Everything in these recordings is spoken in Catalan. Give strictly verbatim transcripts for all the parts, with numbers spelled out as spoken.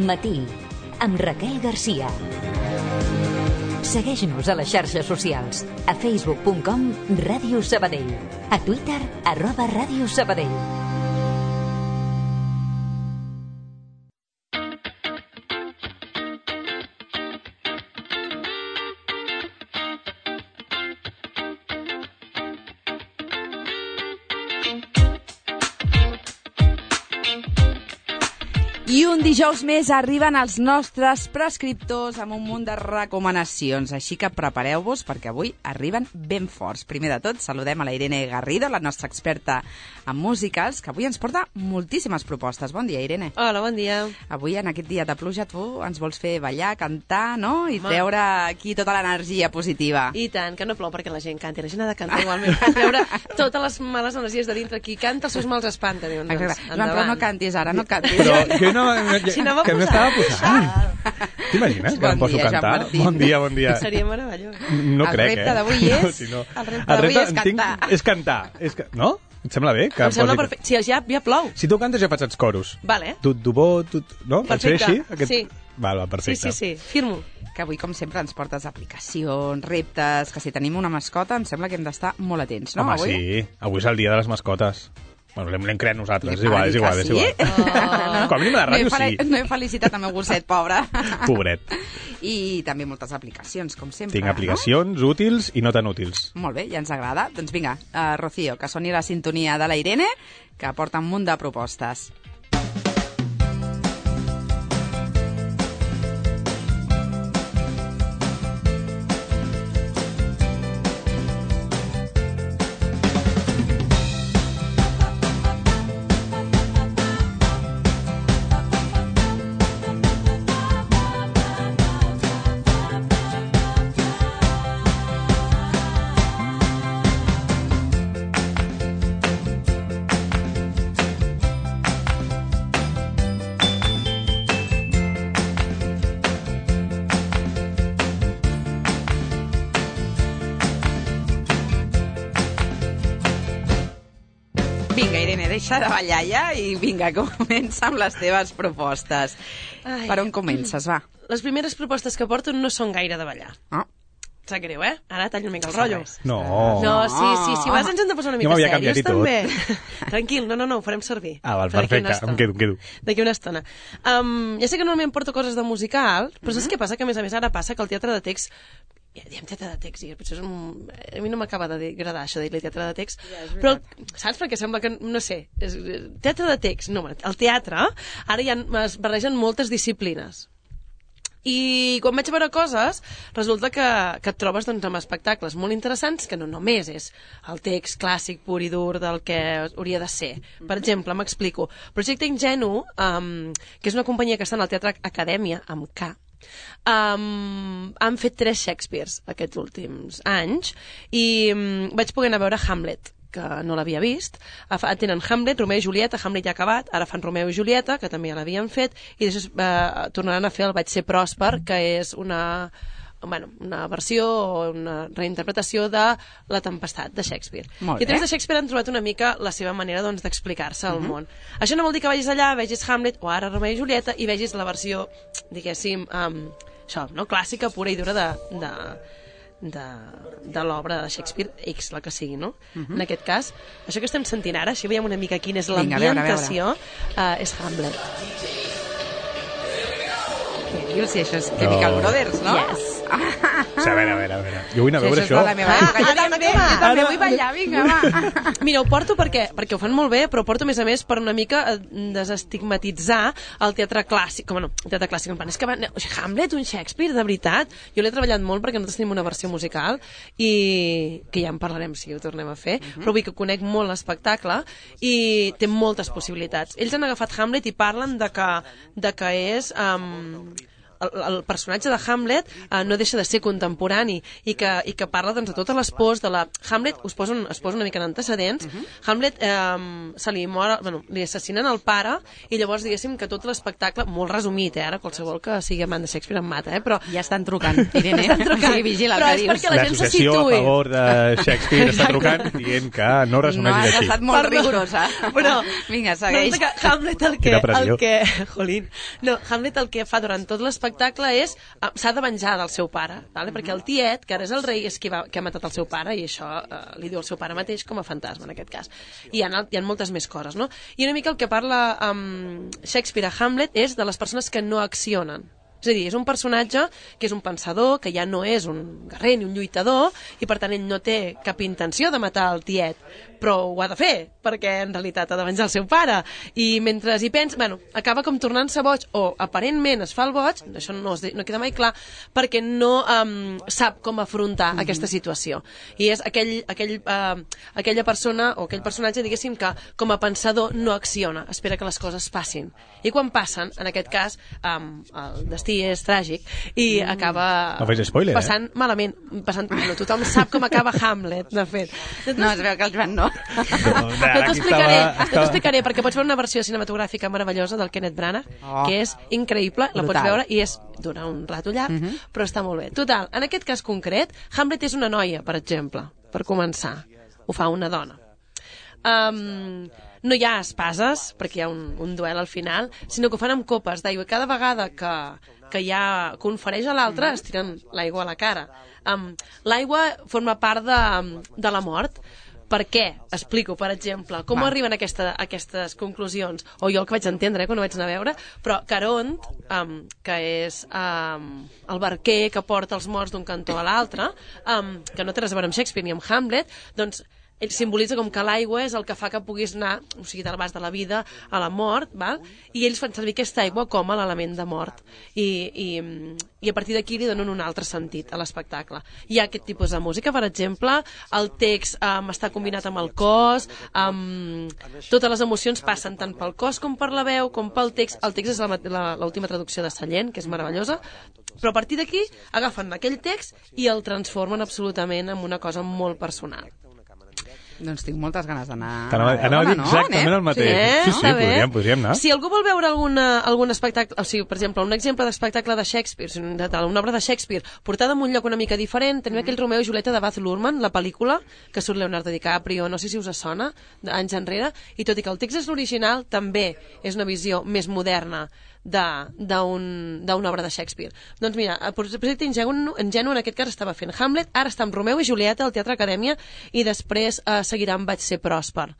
Matí, amb Raquel Garcia. Segueix-nos a les xarxes socials, a facebook punt com Ràdio Sabadell, a Twitter, arroba Ràdio Sabadell. I un dijous més arriben els nostres prescriptors amb un munt de recomanacions, així que prepareu-vos perquè avui arriben ben forts. Primer de tot, saludem a la Irene Garrido, la nostra experta en músiques, que avui ens porta moltíssimes propostes. Bon dia, Irene. Hola, bon dia. Avui, en aquest dia de pluja, tu ens vols fer ballar, cantar, no? I treure aquí tota l'energia positiva. I tant, que no plou perquè la gent canti. La gent ha de cantar igualment. Treure totes les males energies de dintre. Qui canta els seus mals espanta. Diuen, doncs, Exacte. Joan, però no cantis ara, no cantis. Però que no... Si no que m'estava posant. T'imagines que Bon em poso a dia, cantar? Jean-Martí. Bon dia, bon dia. Seria meravellós. No El crec, repte eh? d'avui és- No, si no. el repte d'avui és en tinc- cantar. És cantar. És ca... No? Et sembla bé? Que Em sembla posi- perfecte. Si ja, ja plou. Si tu cantes, jo faig els coros. Vale. Tu, tu bo, tu... No? Pot ser Perfecte. així? Aquest... Sí. Val, va, Sí, perfecte. sí, sí. Firmo. Que avui, com sempre, ens portes aplicacions, reptes, que si tenim una mascota em sembla que hem d'estar molt atents, no? Home, avui? sí. Avui és el dia de les mascotes. Bueno, l'hem l'hem creat nosaltres. És Ah, igual, és dic igual, que és sí? igual. Com a mínim a la No he, ràdio, fel- sí. no he felicitat el meu gosset, pobre. Pobret. I també moltes aplicacions, com sempre. Tinc aplicacions útils i no tan útils. No? Molt bé, ja ens agrada. Doncs vinga, uh, Rocío, que soni la sintonia de la Irene, que porta un munt de propostes. Vinga, Irene, deixa de ballar ja i vinga, comença amb les teves propostes. Ai. Per on comences, va? Les primeres propostes que porto no són gaire de ballar. Oh. Sap greu, eh? Ara tallo una mica el rotllo. No. No, sí, sí, si vas ens hem de posar una Jo mica m'havia canviat serios, i tot. també. Tranquil, no, no, no, ho farem servir. Ah, val, Per d'aquí perfecte. una estona. Em quedo, em quedo. D'aquí una estona. Um, ja sé que normalment porto coses de musical, però saps què passa? Que a més a més ara passa que el teatre de text ja diem teatre de text, i potser és un... a mi no m'acaba d'agradar això de dir teatre de text, però saps? Perquè sembla que, no sé, és... teatre de text, no, el teatre, ara ja es barregen moltes disciplines. I quan vaig a veure coses, resulta que, que et trobes doncs, amb espectacles molt interessants que no només és el text clàssic pur i dur del que hauria de ser. Per exemple, m'explico. Projecte Ingenu, um, que és una companyia que està en el Teatre Acadèmia, amb K, um, han fet tres Shakespeares aquests últims anys i um, vaig poder anar a veure Hamlet, que no l'havia vist. Tenen Hamlet, Romeo i Julieta, Hamlet ja ha acabat, ara fan Romeo i Julieta, que també ja l'havien fet, i després eh, tornaran a fer el Vaig ser pròsper, que és una, bueno, una versió o una reinterpretació de La tempestat, de Shakespeare. Molt I a través bé. de Shakespeare han trobat una mica la seva manera doncs, d'explicar-se al món. Això no vol dir que vagis allà, vegis Hamlet, o ara Romeo i Julieta, i vegis la versió, diguéssim, um, això, no? Clàssica, pura i dura de... de de, de l'obra de Shakespeare, X, la que sigui, no? Uh-huh. En aquest cas, això que estem sentint ara, si veiem una mica quina és Vinga, a veure, a veure. l'ambientació, uh, és Hamlet. Dius, si això és Chemical No. Brothers, no? Yes. O sigui, a veure, a veure, a veure. Jo vull anar a Sí, veure això és això. de la meva època. Jo Ah, també, ara, jo també ara. vull ballar, vinga, va. Mira, ho porto perquè, perquè ho fan molt bé, però ho porto a més a més per una mica eh, desestigmatitzar el teatre clàssic. Com no, el teatre clàssic, en plan, és que va, o sigui, Hamlet, un Shakespeare, de veritat. Jo l'he treballat molt perquè nosaltres tenim una versió musical i que ja en parlarem si ho tornem a fer, uh-huh. però vull que conec molt l'espectacle i té moltes possibilitats. Ells han agafat Hamlet i parlen de que, de que és... Um, el, el personatge de Hamlet eh, no deixa de ser contemporani i que, i que parla doncs, de totes les pors de la... Hamlet, us poso, un, us poso una mica en antecedents, uh -huh. Hamlet eh, se li mor, bueno, li assassinen el pare i llavors diguéssim que tot l'espectacle, molt resumit, eh, ara qualsevol que sigui amant de Shakespeare em mata, eh, però... Ja estan trucant, Irene. estan trucant. Sí, vigila el però que és dius. perquè la gent se L'associació situï. a favor de Shakespeare està trucant dient que no res No, només has és així. estat molt Perdó. rigorosa. Però, Vinga, segueix. resulta que Hamlet el que, Quina pressió. el que, jolín, no, Hamlet el que fa durant tot l'espectacle és uh, s'ha de venjar del seu pare, vale? perquè el tiet, que ara és el rei, és qui, va, que ha matat el seu pare i això uh, li diu el seu pare mateix com a fantasma en aquest cas. I hi ha, hi ha moltes més coses, no? I una mica el que parla um, Shakespeare a Hamlet és de les persones que no accionen. És a dir, és un personatge que és un pensador, que ja no és un guerrer ni un lluitador, i per tant ell no té cap intenció de matar el tiet, però ho ha de fer, perquè en realitat ha de venjar el seu pare. I mentre hi pensa, bueno, acaba com tornant-se boig, o aparentment es fa el boig, això no, es, no queda mai clar, perquè no um, sap com afrontar mm-hmm. aquesta situació. I és aquell, aquell, uh, aquella persona, o aquell personatge, diguéssim, que com a pensador no acciona, espera que les coses passin. I quan passen, en aquest cas, um, el destí és tràgic i mm. acaba no facis spoiler, passant eh? malament, passant, no, tothom sap com acaba Hamlet, de fet. No, es veu que el Joan no. No, No t'ho explicaré, estava, no t'ho explicaré, perquè pots veure una versió cinematogràfica meravellosa del Kenneth Branagh, Oh. que és increïble, la Brutal. pots veure, i és dura un rato llarg, uh -huh. però està molt bé. Total, en aquest cas concret, Hamlet és una noia, per exemple, per començar. Ho fa una dona. Um, no hi ha espases, perquè hi ha un, un duel al final, sinó que ho fan amb copes d'aigua. I cada vegada que, que hi ha confereix a l'altre, es tiren l'aigua a la cara. Um, l'aigua forma part de, de la mort. Per què? Explico, per exemple, com Va. arriben a, aquesta, a aquestes conclusions, o jo el que vaig entendre eh, quan ho vaig anar a veure, però Caront, um, que és um, el barquer que porta els morts d'un cantó a l'altre, um, que no té res a veure amb Shakespeare ni amb Hamlet, doncs ell simbolitza com que l'aigua és el que fa que puguis anar, o sigui, del vas de la vida a la mort, val? I ells fan servir aquesta aigua com a l'element de mort. I, i, i a partir d'aquí li donen un altre sentit a l'espectacle. Hi ha aquest tipus de música, per exemple, el text um, està combinat amb el cos, um, totes les emocions passen tant pel cos com per la veu, com pel text. El text és l'última traducció de Sallent, que és meravellosa, però a partir d'aquí agafen aquell text i el transformen absolutament en una cosa molt personal. Doncs tinc moltes ganes d'anar Anava, anava a dir exactament el mateix. Eh? Sí, sí, Està bé. podríem, podríem anar. Si algú vol veure alguna, algun espectacle, o sigui, per exemple, un exemple d'espectacle de Shakespeare, de, de, una obra de Shakespeare, portada en un lloc una mica diferent, tenim aquell Romeo i Julieta de Baz Luhrmann, la pel·lícula, que surt Leonardo DiCaprio, no sé si us sona, anys enrere, i tot i que el text és l'original, també és una visió més moderna d'una un, obra de Shakespeare. Doncs mira, el projecte Ingenu, Ingenu en aquest cas estava fent Hamlet, ara està amb Romeo i Julieta al Teatre Acadèmia i després eh, seguirà amb Vaig ser pròsper,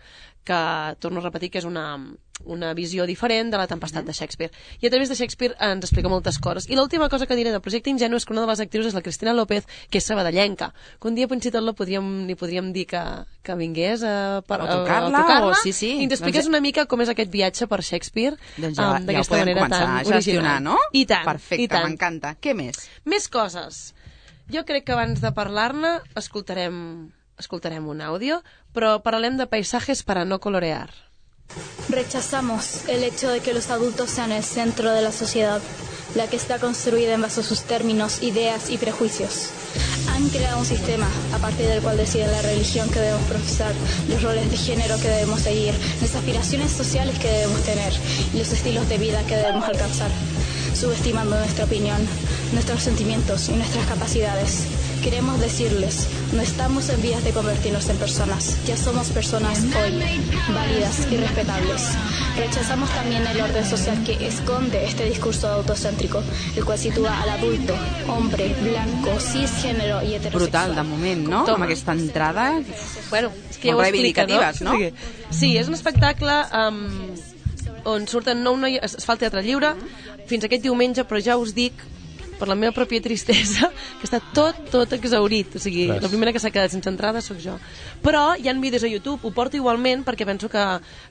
que torno a repetir que és una, una visió diferent de la tempestat de Shakespeare. I a través de Shakespeare ens explica moltes coses. I l'última cosa que diré del projecte Ingenu és que una de les actrius és la Cristina López, que és sabadellenca, que un dia fins i tot la podríem, li podríem dir que, que vingués a, per, a tocar-la, a tocar-la o sí, sí. i ens expliques doncs... una mica com és aquest viatge per Shakespeare, doncs ja, um, ja ho podem començar a gestionar, no? I tant, Perfecte, i tant. m'encanta. Què més? Més coses. Jo crec que abans de parlar-ne escoltarem, escoltarem un àudio, però parlem de paisajes para no colorear. Rechazamos el hecho de que los adultos sean el centro de la sociedad, la que está construida en base a sus términos, ideas y prejuicios. Han creado un sistema a partir del cual deciden la religión que debemos profesar, los roles de género que debemos seguir, las aspiraciones sociales que debemos tener y los estilos de vida que debemos alcanzar, subestimando nuestra opinión, nuestros sentimientos y nuestras capacidades. Queremos decirles, no estamos en vías de convertirnos en personas, ya somos personas hoy, válidas y respetables. Rechazamos también el orden social que esconde este discurso autocéntrico, el cual sitúa al adulto, hombre, blanco, cisgénero i heterosexual. Brutal, de moment, no? Toma. Amb aquesta entrada... Bueno, és que ja ho Molt explica, no? reivindicatives, no? Sí, sí, és un espectacle um, on surten nou noies, es, es fa el teatre lliure fins aquest diumenge, però ja us dic per la meva pròpia tristesa, que està tot, tot exaurit. O sigui, Res. la primera que s'ha quedat sense entrada sóc jo. Però hi ha vídeos a YouTube, ho porto igualment perquè penso que,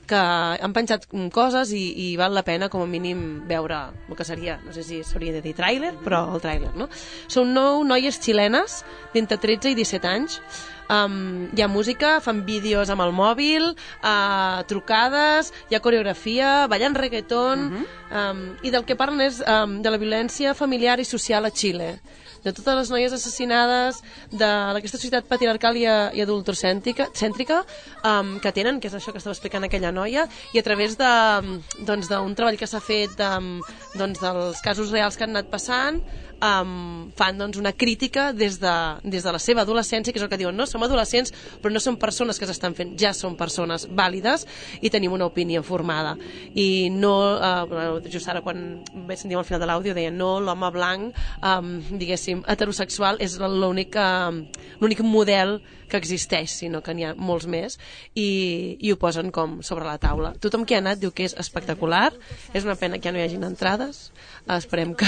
que han penjat coses i, i val la pena com a mínim veure el que seria, no sé si s'hauria de dir tràiler, però el tràiler, no? Són nou noies xilenes d'entre tretze i disset anys, Um, hi ha música, fan vídeos amb el mòbil, uh, trucades, hi ha coreografia, ballen reggaeton, uh -huh. um, i del que parlen és um, de la violència familiar i social a Xile, de totes les noies assassinades d'aquesta societat patriarcal i, i adultocèntrica cèntrica, um, que tenen, que és això que estava explicant aquella noia, i a través de, doncs, d'un treball que s'ha fet de, doncs, dels casos reals que han anat passant, um, fan doncs, una crítica des de, des de la seva adolescència, que és el que diuen, no, som adolescents però no som persones que s'estan fent, ja som persones vàlides i tenim una opinió formada, i no, uh, just ara quan vaig sentir al final de l'àudio deia, no, l'home blanc um, diguéssim, heterosexual és l'únic uh, l'únic model que existeix, sinó que n'hi ha molts més, i, i ho posen com sobre la taula. Tothom que ha anat diu que és espectacular, és una pena que ja no hi hagin entrades, esperem que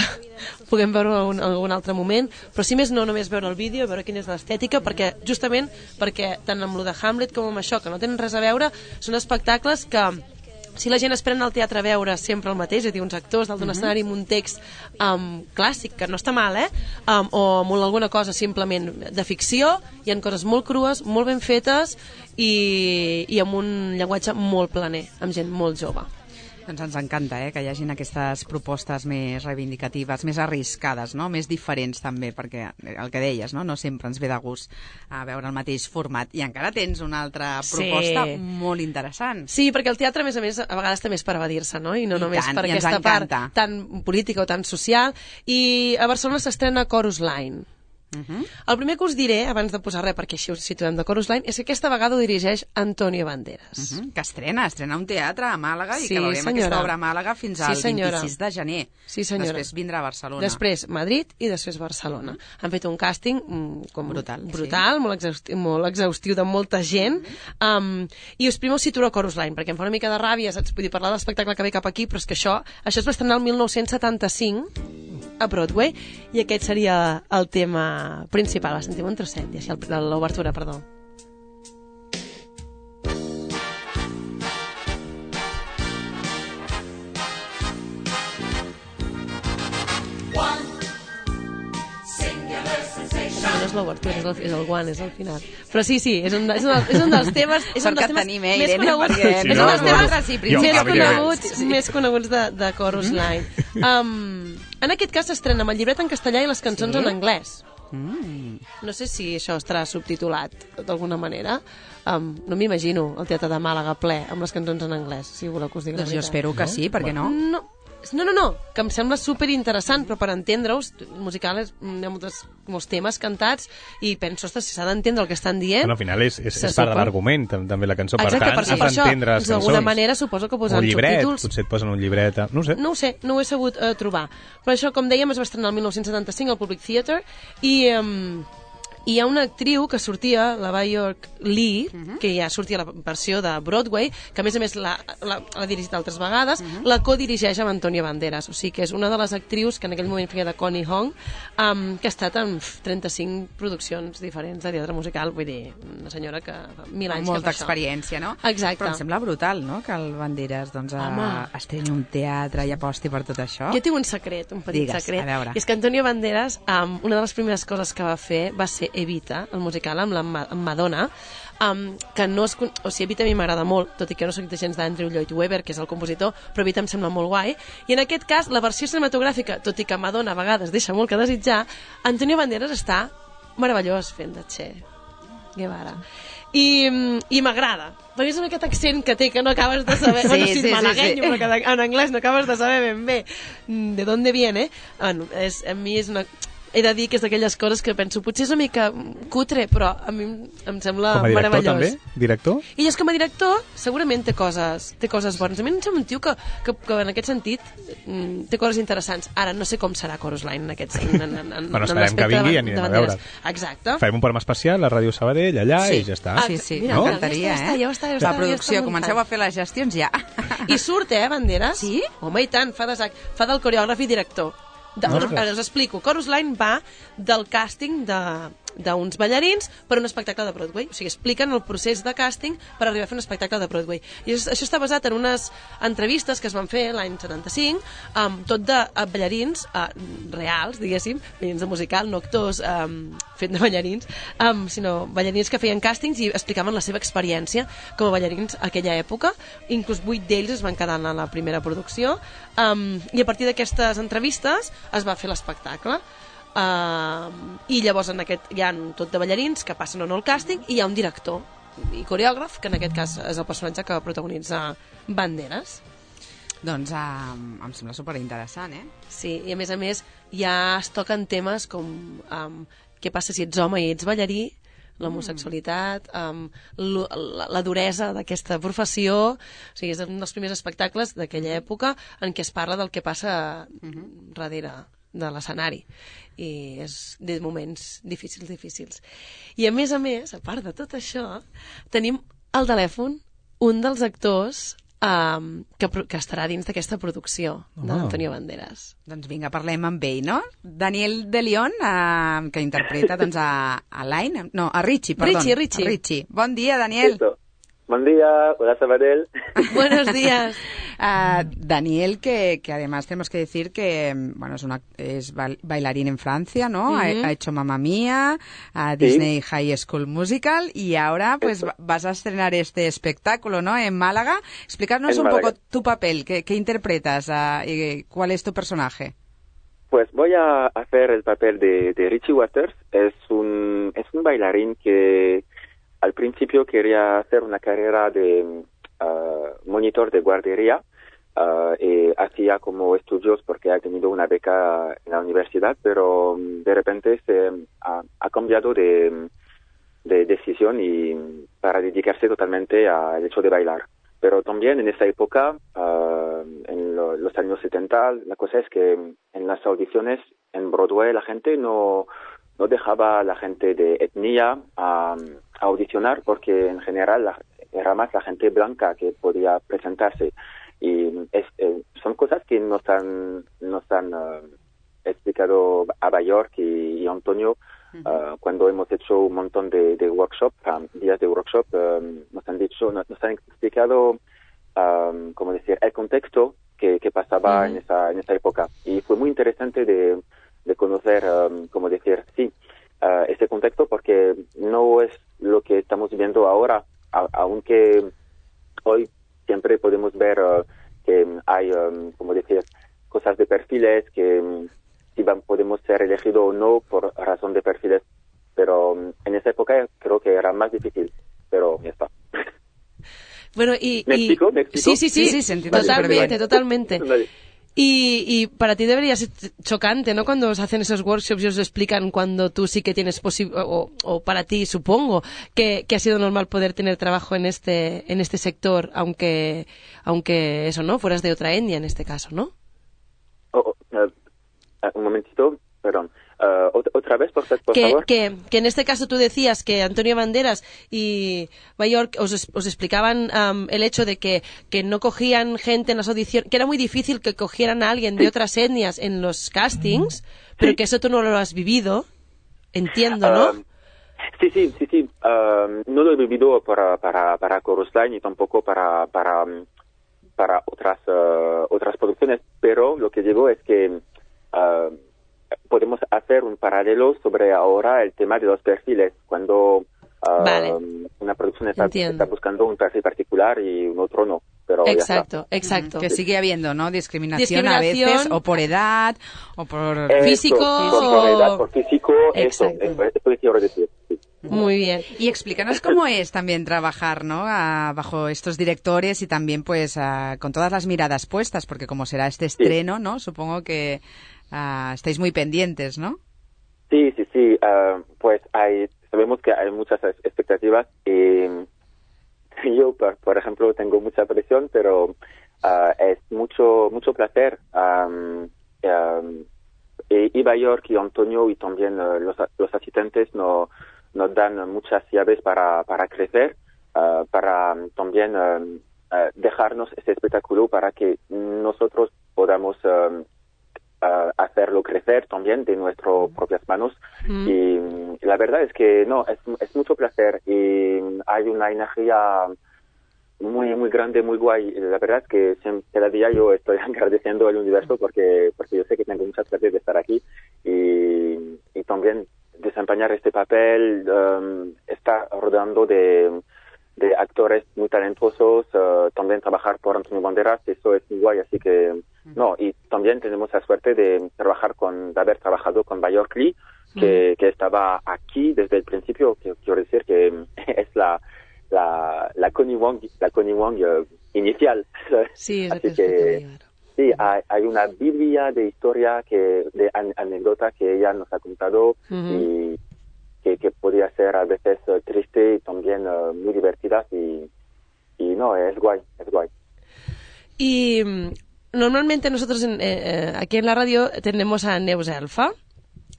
puguem veure en algun altre moment, però si més no, només veure el vídeo, veure quina és l'estètica, perquè justament perquè tant amb lo de Hamlet com amb això, que no tenen res a veure, són espectacles que si la gent espera anar al teatre a veure sempre el mateix, és a dir, uns actors dalt d'un escenari amb un text um, clàssic, que no està mal, eh? Um, o amb alguna cosa simplement de ficció, hi ha coses molt crues, molt ben fetes i, i amb un llenguatge molt planer, amb gent molt jove. Doncs ens encanta eh, que hi hagin aquestes propostes més reivindicatives, més arriscades, no? Més diferents també, perquè el que deies, no? No sempre ens ve de gust a veure el mateix format. I encara tens una altra proposta sí. molt interessant. Sí, perquè el teatre, a més a més, a vegades també és per evadir-se, no? I no I només tant, per aquesta encanta. part tan política o tan social. I a Barcelona s'estrena Chorus Line. Uh-huh. El primer que us diré, abans de posar res perquè així us situem de Chorus Line, és que aquesta vegada ho dirigeix Antonio Banderas. Uh-huh. Que estrena, estrena un teatre a Màlaga i sí, que veurem senyora. aquesta obra a Màlaga fins al sí, vint-i-sis de gener. Sí, senyora. Després vindrà a Barcelona. Després Madrid i després Barcelona. Uh-huh. Han fet un càsting mm, com brutal, brutal sí. molt, exhaustiu, molt exhaustiu de molta gent. Uh-huh. um, I us primer us situo a Chorus Line, perquè em fa una mica de ràbia, saps? Vull dir, parlar de l'espectacle que ve cap aquí, però és que això, això es va estrenar el mil nou-cents setanta-cinc a Broadway, i aquest seria el tema principal. Va, sentim un trosset, i així l'obertura, perdó. No és l'obertura, és, el, és el guant, és el final. Però sí, sí, és un, és un, és un dels temes, és un dels temes més coneguts, perquè, és un dels temes sí, més coneguts, sí. més coneguts de, de Chorus Line. Um, en aquest cas s'estrena amb el llibret en castellà i les cançons sí? en anglès. Mm. No sé si això estarà subtitulat d'alguna manera. Um, no m'imagino el Teatre de Màlaga ple amb les cançons en anglès, si voleu que us digui doncs la veritat. Jo espero que no? sí, per què no? No, no, no, no, que em sembla superinteressant, però per entendre-us, musical és, hi ha moltes, molts temes cantats i penso, ostres, si s'ha d'entendre el que estan dient... Bueno, al final és, és, és part de l'argument, també la cançó. Exacte, per tant, per, has d'entendre les cançons. D'alguna manera suposo que posen un llibret, subtítols... potser et posen un llibret, no ho sé. No ho sé, no ho he sabut uh, trobar. Però això, com dèiem, es va estrenar el mil nou-cents setanta-cinc al Public Theatre i... Um, i hi ha una actriu que sortia, la Bjork Lee, uh-huh. que ja sortia a la versió de Broadway, que a més a més l'ha dirigit altres vegades, uh-huh. la codirigeix amb Antonio Banderas, o sigui que és una de les actrius que en aquell moment feia de Connie Hong, um, que ha estat en trenta-cinc produccions diferents de teatre musical, vull dir, una senyora que fa mil anys molta que fa això. experiència, no? Exacte. Però em sembla brutal, no?, que el Banderas doncs, a, estreni un teatre i aposti per tot això. Jo tinc un secret, un petit Digues, secret, a veure. i és que Antonio Banderas, um, una de les primeres coses que va fer va ser Evita, el musical amb la amb Madonna, um, que no es, o sigui, Evita a mi m'agrada molt, tot i que no soc de gens d'Andrew Lloyd Webber, que és el compositor, però Evita em sembla molt guai, i en aquest cas la versió cinematogràfica, tot i que Madonna a vegades deixa molt que desitjar, Antonio Banderas està meravellós fent de Che Guevara. I, i m'agrada, perquè és aquest accent que té que no acabes de saber, sí, bueno, sí, sí, malaguenyo, sí, sí. Però que en anglès no acabes de saber ben bé de d'on viene. Bueno, és, a mi és una... He de dir que és d'aquelles coses que penso, potser és una mica cutre, però a mi em sembla com a director, meravellós. també? Director? I és com a director segurament té coses, té coses bones. A mi em sembla un tio que, que, que en aquest sentit té coses interessants. Ara no sé com serà Chorus Line en aquest en, en, en, bueno, esperem que vingui i anirem a veure. Exacte. Farem un programa especial a Ràdio Sabadell, allà, sí. i ja està. Ah, sí, sí, mira, m'encantaria, no? eh? Ja està, ja està, la producció, comenceu a fer les gestions ja. I surt, eh, Banderas? Sí? Home, i tant, fa, de, fa del coreògraf i director. De, us explico, Chorus Line va del càsting de, d'uns ballarins per un espectacle de Broadway. O sigui, expliquen el procés de càsting per arribar a fer un espectacle de Broadway. I això, això està basat en unes entrevistes que es van fer l'any setanta-cinc, um, tot de uh, ballarins uh, reals, diguéssim, ballarins de musical, no actors um, fent de ballarins, um, sinó ballarins que feien càstings i explicaven la seva experiència com a ballarins a aquella època. Inclús vuit d'ells es van quedar en la primera producció, um, i a partir d'aquestes entrevistes es va fer l'espectacle. Uh, I llavors en aquest hi ha tot de ballarins que passen o no el càsting i hi ha un director i coreògraf, que en aquest cas és el personatge que protagonitza Banderas. Doncs uh, em sembla superinteressant, eh? Sí, i a més a més ja es toquen temes com um, què passa si ets home i ets ballarí, l'homosexualitat, um, la, la duresa d'aquesta professió. O sigui, és un dels primers espectacles d'aquella època en què es parla del que passa uh-huh. darrere de l'escenari, i és de moments difícils, difícils. I a més a més, a part de tot això, tenim al telèfon un dels actors um, que, que estarà dins d'aquesta producció oh. d'Antonio Banderas. Doncs vinga, parlem amb ell, no? Daniel de León, uh, que interpreta doncs, a, a Line, no, a Richie, perdó. Richie, Richie. Richie. Bon dia, Daniel. Listo. Buen día, hola Sabadell. Buenos días. Uh, Daniel, que, que además tenemos que decir que bueno, es, una, es bailarín en Francia, ¿no? Uh-huh. ha, ha hecho Mamma Mía, a Disney sí. High School Musical, y ahora pues Esto. vas a estrenar este espectáculo, ¿no? En Málaga. Explícanos en un Málaga. poco tu papel, ¿qué, qué interpretas uh, y cuál es tu personaje? Pues voy a hacer el papel de, de Richie Waters. Es un, es un bailarín que al principio quería hacer una carrera de uh, monitor de guardería uh, y hacía como estudios porque ha tenido una beca en la universidad, pero um, de repente se ha, ha cambiado de, de decisión y para dedicarse totalmente al hecho de bailar. Pero también en esa época, uh, en lo, los años setenta, la cosa es que en las audiciones en Broadway la gente no, no dejaba a la gente de etnia a, a audicionar porque en general la, era más la gente blanca que podía presentarse. Y es, eh, son cosas que nos han, nos han uh, explicado a Bayork y, y Antonio uh, uh-huh. cuando hemos hecho un montón de, de workshop, um, días de workshop, um, nos han dicho, nos, nos han explicado, um, como decir, el contexto que, que pasaba uh-huh. en esa, en esa época. Y fue muy interesante de, de conocer, um, como decir, sí, uh, ese contexto porque no es lo que estamos viendo ahora, a, aunque hoy siempre podemos ver uh, que hay, um, como decir, cosas de perfiles que um, si van, podemos ser elegidos o no por razón de perfiles, pero um, en esa época creo que era más difícil, pero ya está. Bueno, y, ¿Me y... explico? ¿Me explico? Sí, sí, sí, sí, sí totalmente, totalmente. Y, y para ti debería ser chocante, ¿no? Cuando os hacen esos workshops y os explican cuando tú sí que tienes posible, o, o para ti, supongo, que, que ha sido normal poder tener trabajo en este, en este sector, aunque, aunque eso, ¿no? Fueras de otra etnia en este caso, ¿no? Oh, oh, uh, un momentito, perdón. Uh, otra vez, por, por que, favor. Que, que en este caso tú decías que Antonio Banderas y Bayork os, os explicaban um, el hecho de que, que no cogían gente en las audiciones, que era muy difícil que cogieran a alguien de otras etnias en los castings, pero sí. que eso tú no lo has vivido, entiendo, ¿no? Um, sí, sí, sí, sí. Um, no lo he vivido para, para, para Chorus Line y tampoco para, para, para otras, uh, otras producciones, pero lo que digo es que uh, podemos hacer un paralelo sobre ahora el tema de los perfiles. Cuando uh, vale. una producción está, está buscando un perfil particular y un otro no. Pero exacto, exacto. Que sigue habiendo, ¿no? Discriminación, Discriminación a veces, o por edad, o por eso, físico. Por, o... por edad, por físico, exacto. eso, eso, eso quiero decir. Sí. Muy bien. Y explícanos cómo es también trabajar, ¿no? A, bajo estos directores y también, pues, a, con todas las miradas puestas, porque como será este estreno, sí. ¿no? Supongo que Uh, estáis muy pendientes, ¿no? Sí, sí, sí. Uh, pues hay, sabemos que hay muchas expectativas y yo, por, por ejemplo, tengo mucha presión, pero uh, es mucho mucho placer. Um, um, y, y Bayork y Antonio y también uh, los, los asistentes no, nos dan muchas llaves para, para crecer, uh, para um, también um, uh, dejarnos ese espectáculo para que nosotros podamos um, uh, hacerlo crecer también de nuestras propias manos. Mm. Y la verdad es que no, es, es mucho placer y hay una energía muy muy grande, muy guay. La verdad es que cada día yo estoy agradeciendo al universo porque porque yo sé que tengo muchas suerte de estar aquí y, y también desempeñar este papel, um, estar rodeando de de actores muy talentosos, uh, también trabajar por Antonio Banderas, eso es muy guay, así que no, y también tenemos la suerte de trabajar con, de haber trabajado con Björk Lee, que, que estaba aquí desde el principio, que quiero decir que es la la la Connie Wong, la Connie Wong uh, inicial. Sí, es así que sí, hay, hay una biblia de historia que de an, anécdota que ella nos ha contado uh-huh. y Que, que podía ser a veces uh, triste y también uh, muy divertida y, y no, es guay, es guay. Y um, normalmente nosotros en, eh, aquí en la radio tenemos a Neus Elfa,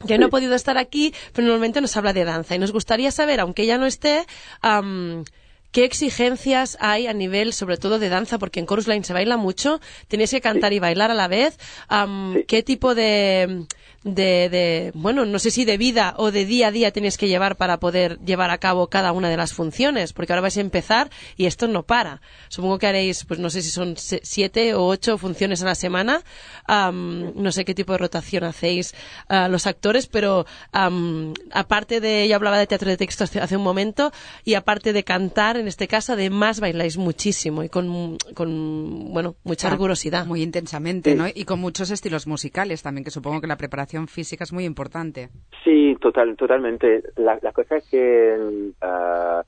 que sí. no ha podido estar aquí, pero normalmente nos habla de danza y nos gustaría saber, aunque ella no esté, um, ¿qué exigencias hay a nivel, sobre todo, de danza? Porque en Chorus Line se baila mucho, tenéis que cantar sí. y bailar a la vez. Um, sí. ¿Qué tipo de, de, de, bueno, no sé si de vida o de día a día tenéis que llevar para poder llevar a cabo cada una de las funciones? Porque ahora vais a empezar y esto no para. Supongo que haréis, pues no sé si son siete o ocho funciones a la semana. Um, no sé qué tipo de rotación hacéis uh, los actores, pero um, aparte de, yo hablaba de teatro de texto hace, hace un momento, y aparte de cantar, en este caso, además bailáis muchísimo y con, con bueno, mucha ah, rigurosidad. Muy intensamente, sí. ¿no? Y con muchos estilos musicales también, que supongo que la preparación física es muy importante. Sí, total, totalmente. La, la cosa es que uh,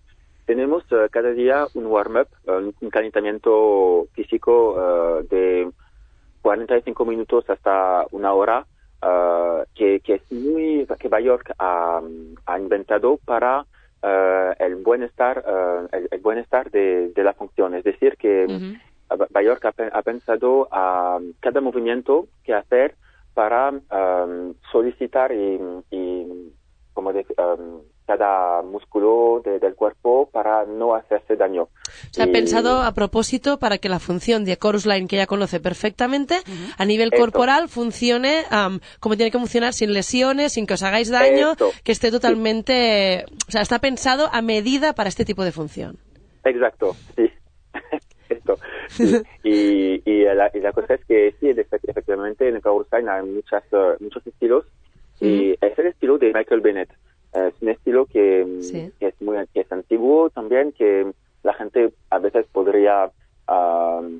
tenemos uh, cada día un warm-up, uh, un calentamiento físico uh, de cuarenta y cinco minutos hasta una hora, uh, que, que es muy, que Björk ha, ha inventado para Uh, el bienestar, uh, el, el bienestar de, de la función. Es decir, que uh-huh. Björk ha, ha pensado a uh, cada movimiento que hacer para um, solicitar y, y como de, um, cada músculo de, del cuerpo para no hacerse daño. Se ha y... pensado a propósito para que la función de Chorus Line, que ella conoce perfectamente, uh-huh. a nivel Esto. corporal funcione um, como tiene que funcionar, sin lesiones, sin que os hagáis daño, Esto. que esté totalmente... Sí. O sea, está pensado a medida para este tipo de función. Exacto, sí. Esto. Sí. y, y, la, y la cosa es que sí, efectivamente en Chorus Line hay muchas, uh, muchos estilos uh-huh. y es el estilo de Michael Bennett. Es un estilo que, sí. que, es muy, que es antiguo también, que la gente a veces podría uh,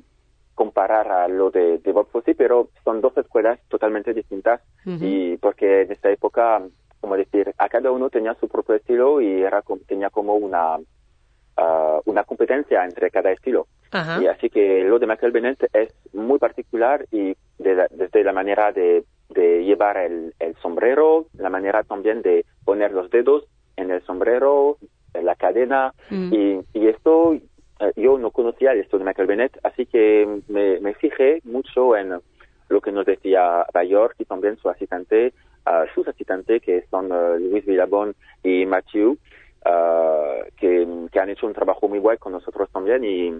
comparar a lo de, de Bob Fosse, pero son dos escuelas totalmente distintas uh-huh. y porque en esta época, como decir, a cada uno tenía su propio estilo y era tenía como una uh, una competencia entre cada estilo. Uh-huh. Y así que lo de Michael Bennett es muy particular y de la, desde la manera de de llevar el, el sombrero, la manera también de poner los dedos en el sombrero, en la cadena, mm. y, y esto, eh, yo no conocía esto de Michael Bennett, así que me, me fijé mucho en lo que nos decía Björk y también su asistente, uh, sus asistentes, que son uh, Luis Villabón y Matthew, uh, que, que han hecho un trabajo muy guay con nosotros también, y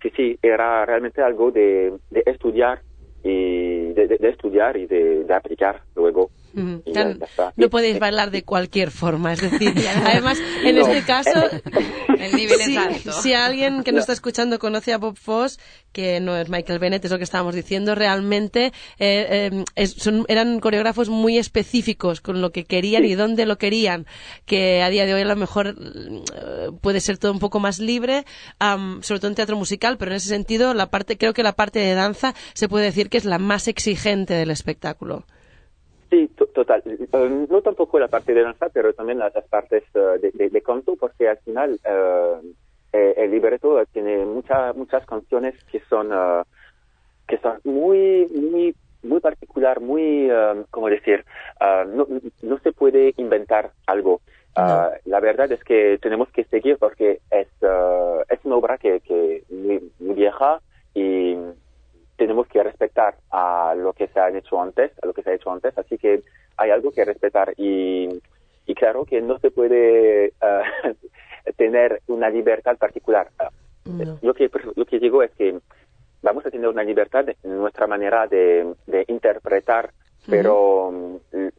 sí, sí, era realmente algo de, de estudiar, y de, de, de estudiar y de, de aplicar luego. Mm, y ya, ya está. No podéis bailar de cualquier forma, es decir, además, en no. este caso, el nivel si, es alto. Si alguien que nos está escuchando conoce a Bob Fosse, que no es Michael Bennett, es lo que estábamos diciendo, realmente eh, eh, es, son, eran coreógrafos muy específicos con lo que querían sí. y dónde lo querían, que a día de hoy a lo mejor eh, puede ser todo un poco más libre, um, sobre todo en teatro musical, pero en ese sentido, la parte, creo que la parte de danza se puede decir que es la más exigente del espectáculo. Sí, to- total. Uh, no tampoco la parte de danza, pero también las, las partes uh, de, de, de canto, porque al final uh, eh, el libreto tiene muchas muchas canciones que son uh, que son muy muy muy particular, muy uh, ¿cómo decir? Uh, no, no se puede inventar algo. Uh, no. La verdad es que tenemos que seguir porque es uh, es una obra que que muy, muy vieja y tenemos que respetar a lo que se ha hecho antes, a lo que se ha hecho antes, así que hay algo que respetar y, y claro que no se puede uh, tener una libertad particular. No. Lo que lo que digo es que vamos a tener una libertad en nuestra manera de, de interpretar pero uh-huh.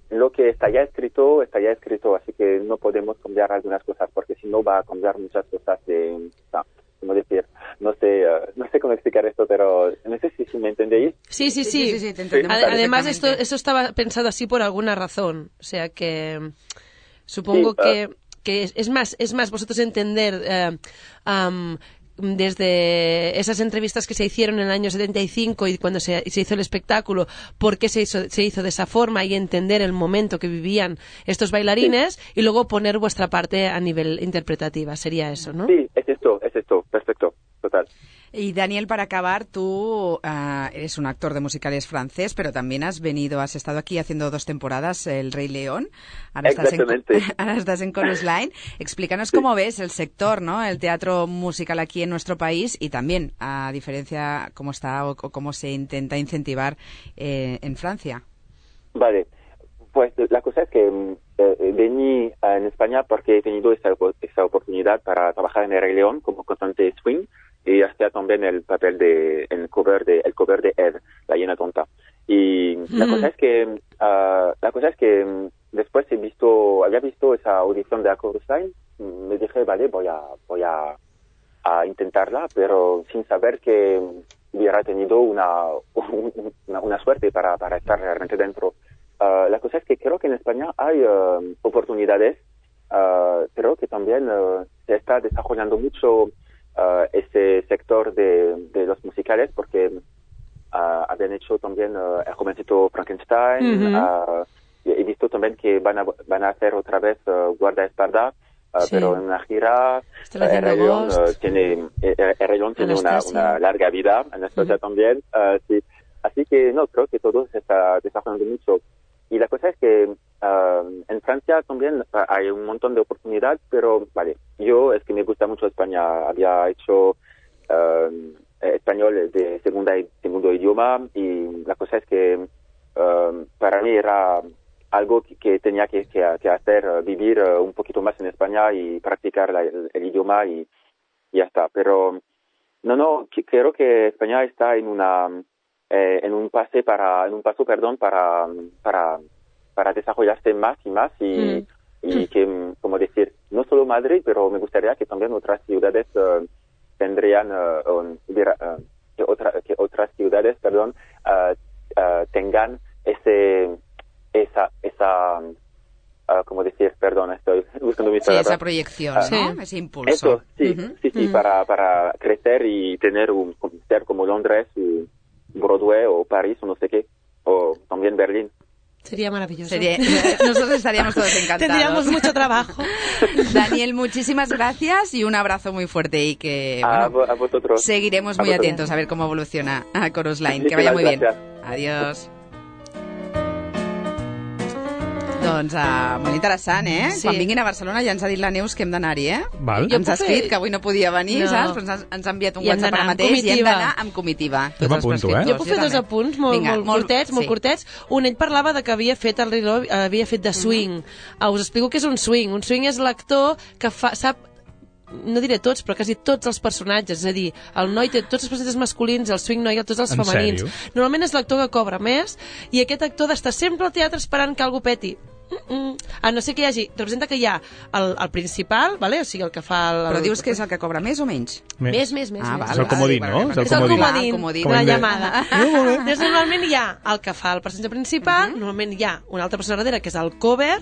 lo que está ya escrito, está ya escrito, así que no podemos cambiar algunas cosas, porque si no va a cambiar muchas cosas de, no, ¿cómo decir? No sé, uh, no sé cómo explicar esto, pero no sé si, si me entendéis. Sí, sí, sí. sí, sí, sí te entendemos Ad- Además, esto, esto estaba pensado así por alguna razón, o sea que supongo sí, que, uh, que es, es más, es más vosotros entender eh, um, desde esas entrevistas que se hicieron en el año setenta y cinco y cuando se, se hizo el espectáculo, por qué se hizo, se hizo de esa forma y entender el momento que vivían estos bailarines sí. y luego poner vuestra parte a nivel interpretativa. Sería eso, ¿no? Sí, es esto, es esto, perfecto, total. Y Daniel, para acabar, tú uh, eres un actor de musicales francés, pero también has venido, has estado aquí haciendo dos temporadas El Rey León. Ahora estás en, ahora estás en Chorus Line. Explícanos sí. cómo ves el sector, ¿no? El teatro musical aquí en nuestro país y también, a diferencia, cómo está o, o cómo se intenta incentivar eh, en Francia. Vale, pues la cosa es que eh, vení en España porque he tenido esa, esa oportunidad para trabajar en El Rey León como cantante swing. Y hacía también el papel de el cover de el cover de Ed, la hiena tonta. Y mm. la cosa es que uh, la cosa es que um, después he visto había visto esa audición de Chorus Line, me dije vale voy a voy a, a intentarla, pero sin saber que hubiera tenido una una, una suerte para para estar realmente dentro. Uh, la cosa es que creo que en España hay uh, oportunidades, uh, pero que también uh, se está desarrollando mucho Uh, ese sector de, de los musicales, porque uh, habían hecho también uh, El jovencito Frankenstein, uh-huh. uh, he visto también que van a, van a hacer otra vez uh, Guardaespaldas, uh, sí. pero en una gira. Uh, el Rey León uh, tiene, el, el Rey León tiene una, una larga vida, Anastasia uh-huh. también, uh, sí. Así que no, creo que todo se está desarrollando mucho. Y la cosa es que uh, en Francia también uh, hay un montón de oportunidades, pero vale, yo es que me gusta mucho España. Había hecho uh, español de segunda segundo idioma y la cosa es que uh, para mí era algo que, que tenía que, que, que hacer, uh, vivir uh, un poquito más en España y practicar la, el, el idioma y, y ya está. Pero no, no, que, creo que España está en una Eh, en un pase para en un paso perdón para para para desarrollarse más y más y, mm. y que como decir no solo Madrid pero me gustaría que también otras ciudades uh, tendrían uh, um, hubiera, uh, que, otra, que otras ciudades perdón uh, uh, tengan ese esa esa uh, como decir perdón estoy buscando mis sí, palabras esa proyección uh, sí. ¿no? Ese impulso eso sí uh-huh. sí sí uh-huh. para para crecer y tener un ser como Londres y Broadway o París o no sé qué, o también Berlín. Sería maravilloso. Sería, nosotros estaríamos todos encantados. Tendríamos mucho trabajo. Daniel, muchísimas gracias y un abrazo muy fuerte y que a, bueno, a vosotros. seguiremos muy a vosotros. atentos a ver cómo evoluciona a Chorus Line. Que vaya muy bien. Adiós. Doncs uh, molt interessant, eh? Sí. Quan vinguin a Barcelona ja ens ha dit la Neus que hem d'anar-hi, eh? Val. Ens ha escrit que avui no podia venir, no. saps? Però ens ha, ens ha enviat un I WhatsApp ara mateix i hem d'anar amb comitiva. Jo m'apunto, eh? Jo puc fer dos apunts molt, Vinga, molt, molt curtets, sí. molt curtets. Un, ell parlava de que havia fet el Rilo, havia fet de swing. Mm-hmm. Uh, us explico què és un swing. Un swing és l'actor que fa, sap no diré tots, però quasi tots els personatges, és a dir, el noi té tots els personatges masculins, el swing noi, tots els en femenins. Sèrio? Normalment és l'actor que cobra més i aquest actor d'estar sempre al teatre esperant que algú peti. Mm-mm. A no ser que hi hagi, representa que hi ha el, el principal, vale? O sigui, el que fa el, Però dius que és el que cobra més o menys? Més, més, més. Ah, més. És el comodín, no? És el comodín, el comodín. la llamada. Llavors, normalment hi ha el que fa el personatge principal, uh-huh. normalment hi ha una altra persona darrere, que és el cover,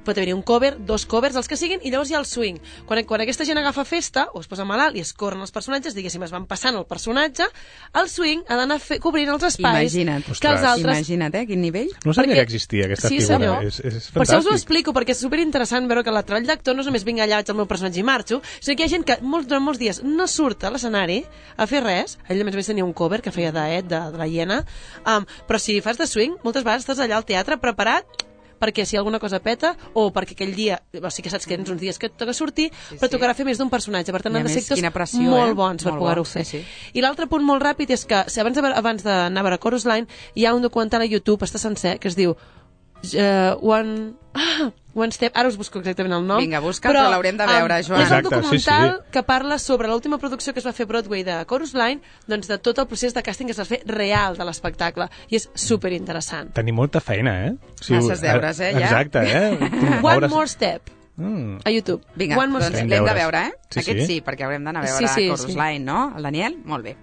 pot haver-hi un cover, dos covers, els que siguin, i llavors hi ha el swing. Quan, quan aquesta gent agafa festa, o es posa malalt i es corren els personatges, diguéssim, es van passant el personatge, el swing ha d'anar cobrint els espais. Imagina't. Que els altres... Imagina't, eh? Quin nivell. No sabia perquè... que existia aquesta sí, figura. És, és fantàstic. Per això us ho explico, perquè és superinteressant veure que el treball d'actor no és només vinga allà, vaig al meu personatge i marxo, sinó que hi ha gent que molts, durant molts dies no surt a l'escenari a fer res. Ell, a més a més, tenia un cover que feia d'Ed, de, de la hiena, um, però si fas de swing, moltes vegades estàs allà al teatre preparat perquè si alguna cosa peta, o perquè aquell dia, o sigui que saps que tens uns dies que et toca sortir, sí, però tocarà fer més d'un personatge, per tant han de ser actors pressió, molt eh? bons per molt poder-ho bon, fer. sí, sí. I l'altre punt molt ràpid és que, si abans, de, abans d'anar a veure Chorus Line, hi ha un documental a YouTube, està sencer, que es diu uh, One... Ah, One Step, ara us busco exactament el nom. Vinga, busca, però, però l'haurem de veure, um, Joan. És un Exacte, documental sí, sí. que parla sobre l'última producció que es va fer a Broadway de Chorus Line, doncs de tot el procés de càsting que es va fer real de l'espectacle, i és superinteressant. Tenim molta feina, eh? Si Masses deures, eh, ja. Exacte, eh? One More Step. Mm. A YouTube. Vinga, One More doncs Step. l'hem de veure, eh? Sí, Aquest sí. sí, perquè haurem d'anar a veure Sí, sí, Chorus sí. Line, no? El Daniel? Molt bé.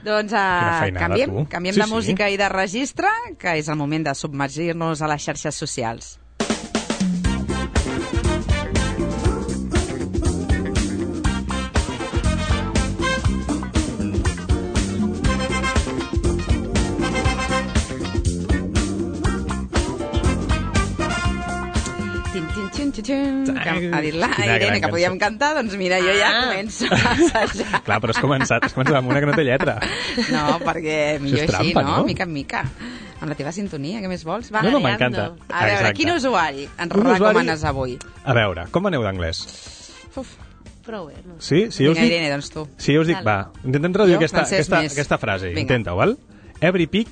Doncs Quina uh, feinada, canviem, tu. canviem Sí, de sí. música i de registre, que és el moment de submergir-nos a les xarxes socials. Tin, tin, tin, tin, tin. Que ha dit la Quina Irene gran que podíem cançó. cantar, doncs mira, jo ja Ah. començo a assajar. Clar, però has començat, has començat amb una que no té lletra. No, perquè millor és així, trampa, no? no? Mica en mica. Amb la teva sintonia, què més vols? Va, No, no, Ariadna. m'encanta. A veure, Exacte. quin usuari ens Un usuari- recomanes avui? A veure, com aneu d'anglès? Uf, Prou bé, no? Sí? Si jo us vinga, dic, Irene, doncs tu. si jo us dic Dale. va, intentem traduir Jo, aquesta, francès aquesta, més. aquesta frase. Vinga. Intenta-ho, val? Every pig